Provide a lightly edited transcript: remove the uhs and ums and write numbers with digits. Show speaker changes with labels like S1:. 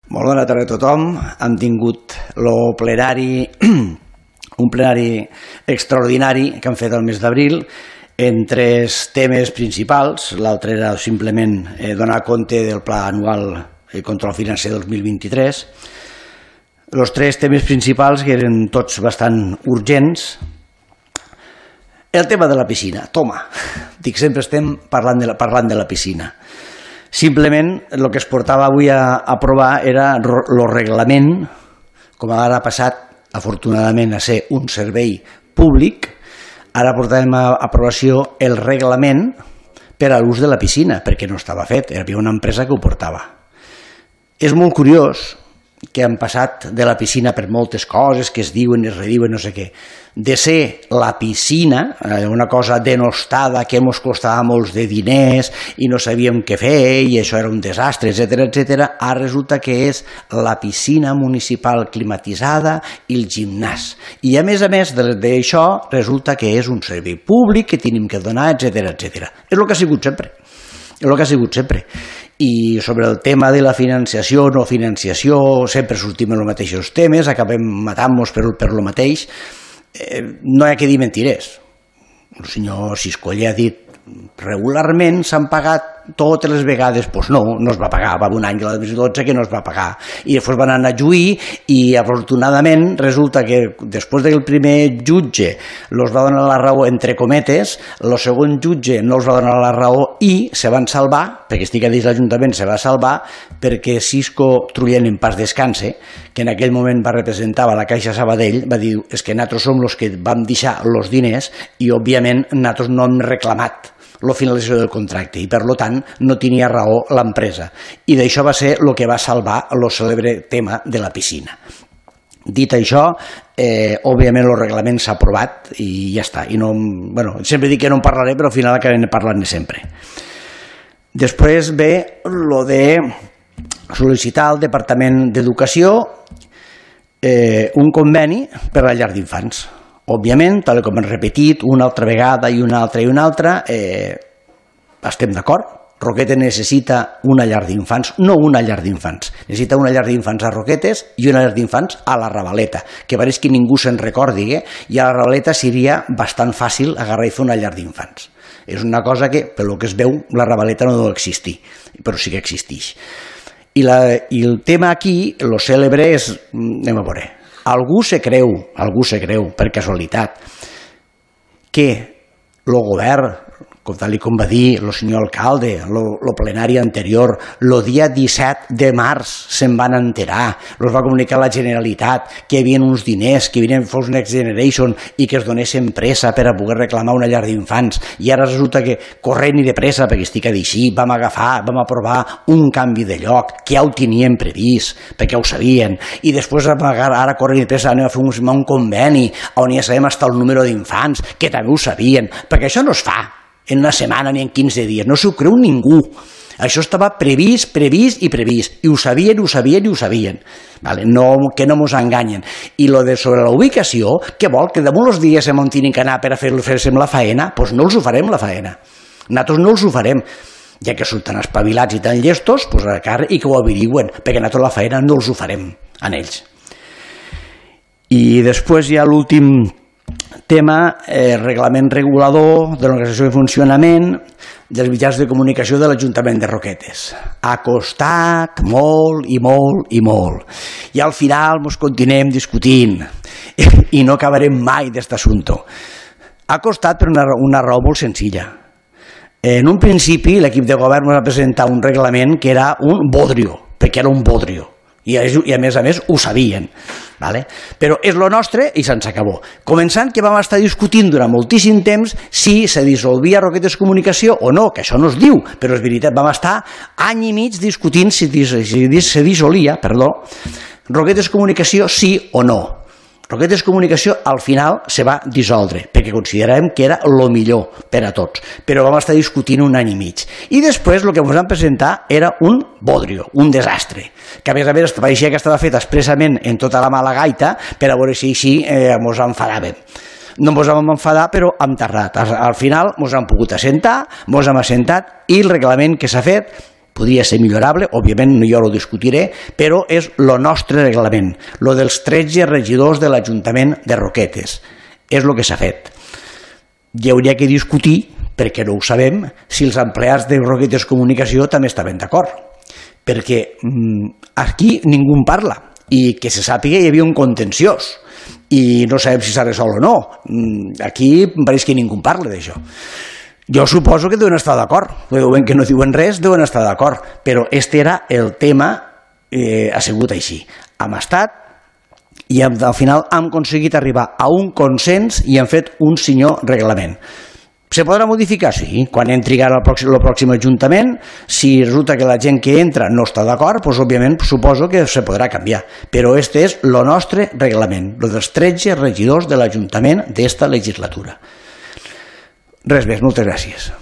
S1: Molt bona tarda a tothom. Hem tingut un plenari extraordinari que han fet el mes d'abril en tres temes principals. L'altre era simplement donar compte del Pla Anual de Control Financer 2023. Els tres temes principals que eren tots bastant urgents. El tema de la piscina, toma, dic, sempre estem parlant de la piscina. Simplement el que es portava avui a aprovar era el reglament, com ara ha passat afortunadament a ser un servei públic, ara portàvem a aprovació el reglament per a l'ús de la piscina, perquè no estava fet, hi havia una empresa que ho portava. És molt curiós que han passat de la piscina per moltes coses que es diuen i es rediuen, no sé què, de ser la piscina, una cosa denostada que ens costava molts de diners i no sabíem què fer i això era un desastre, etc., ara resulta que és la piscina municipal climatitzada i el gimnàs. I a més d'això resulta que és un servei públic que tenim que donar, etc. És el que ha sigut sempre. És el que ha sigut sempre. I sobre el tema de la financiació o no financiació sempre sortim en els mateixos temes, acabem matant-nos per el mateix. No hi ha que dir mentires. El senyor Siscolla ha dit regularment s'han pagat totes les vegades. Doncs no es va pagar, va haver un any de la 2012 que no es va pagar i després van anar a juir i afortunadament resulta que després del primer jutge els va donar la raó entre cometes, el segon jutge no els va donar la raó i se van salvar, perquè estic a dins l'Ajuntament, se va salvar perquè Cisco Trullent en pas descanse, que en aquell moment va representar a la Caixa Sabadell, va dir és que nosaltres som els que vam deixar els diners i òbviament nosaltres no hem reclamat la finalització del contracte i per tant no tenia raó l'empresa i d'això va ser el que va salvar el cèlebre tema de la piscina. Dit això, òbviament el reglament s'ha aprovat i ja està. I no, sempre dic que no en parlaré però al final acabem parlant-ne sempre. Després ve el de sol·licitar al Departament d'Educació un conveni per a la llar d'infants. Òbviament, tal com hem repetit una altra vegada i una altra, estem d'acord. Roquetes necessita una llar d'infants, no una llar d'infants. Necessita una llar d'infants a Roquetes i una llar d'infants a la Ravaleta, que pareix que ningú se'n recordi, i a la Ravaleta seria bastant fàcil agarrar i fer una llar d'infants. És una cosa que, pel que es veu, la Ravaleta no deu existir, però sí que existeix. I el tema aquí, el cèlebre és, anem a veure, algú se creu, per casualitat, que el govern, tal com va dir el senyor alcalde, el plenari anterior, el dia 17 de març se'n van enterar, els va comunicar la Generalitat que hi havia uns diners, que havien fos Next Generation i que es donessin pressa per a poder reclamar una llar d'infants i ara resulta que corrent i de pressa, perquè estic a dir així, vam aprovar un canvi de lloc que ja ho tenien previst, perquè ho sabien, i després ara corrent i de pressa anem a fer un conveni on ja sabem fins el número d'infants, que també ho sabien, perquè això no es fa en una setmana ni en 15 dies, no s'ho creu ningú. Això estava previst, i ho sabien. Que no mos enganyen. I sobre la ubicació, què vol? Que damunt els dies on tenen que anar per a fer-se la faena? Doncs no els ho farem, la faena. Nosaltres no els ho farem. Ja que són tan espavilats i tan llestos, doncs a cara i que ho averigüen, perquè nosaltres la faena no els ho farem a ells. I després hi ha l'últim tema, reglament regulador de l'organització i funcionament dels mitjans de comunicació de l'Ajuntament de Roquetes. Ha costat molt. I al final ens continuem discutint i no acabarem mai d'aquest assumpte. Ha costat per una raó molt senzilla. En un principi l'equip de govern va presentar un reglament que era un bodrio, perquè era un bodrio. I a més ho sabien. Però és el nostre i se'ns acabó. Començant que vam estar discutint durant moltíssim temps si se dissolvia Roquetes Comunicació o no, que això no es diu, però és veritat, vam estar any i mig discutint si se dissolia, Roquetes Comunicació sí o no. Roquetes Comunicació al final se va dissoldre, perquè consideràvem que era el millor per a tots, però vam estar discutint un any i mig. I després el que ens van presentar era un bodrio, un desastre, que a més pareixia que estava fet expressament en tota la mala gaita per a veure si així ens enfadàvem. No ens vam enfadar, però hem tardat. Al final ens hem pogut assentar, ens hem assentat i el reglament que s'ha fet podria ser millorable, òbviament jo ho discutiré, però és el nostre reglament, el dels 13 regidors de l'Ajuntament de Roquetes. És el que s'ha fet. Hi hauria que discutir, perquè no ho sabem, si els empleats de Roquetes Comunicació també estaven d'acord. Perquè aquí ningú en parla i que se sàpiga hi havia un contenciós i no sabem si s'ha resolt o no. Aquí pareix que ningú en parla d'això. Jo suposo que deuen estar d'acord, veuen que no diuen res, deuen estar d'acord, però este era el tema, ha sigut així. Hem estat i al final hem aconseguit arribar a un consens i hem fet un senyor reglament. Se podrà modificar? Sí. Quan entri ara el pròxim Ajuntament, si resulta que la gent que entra no està d'acord, doncs òbviament suposo que se podrà canviar. Però este és el nostre reglament, el dels 13 regidors de l'Ajuntament d'esta legislatura. Res més, moltes gràcies.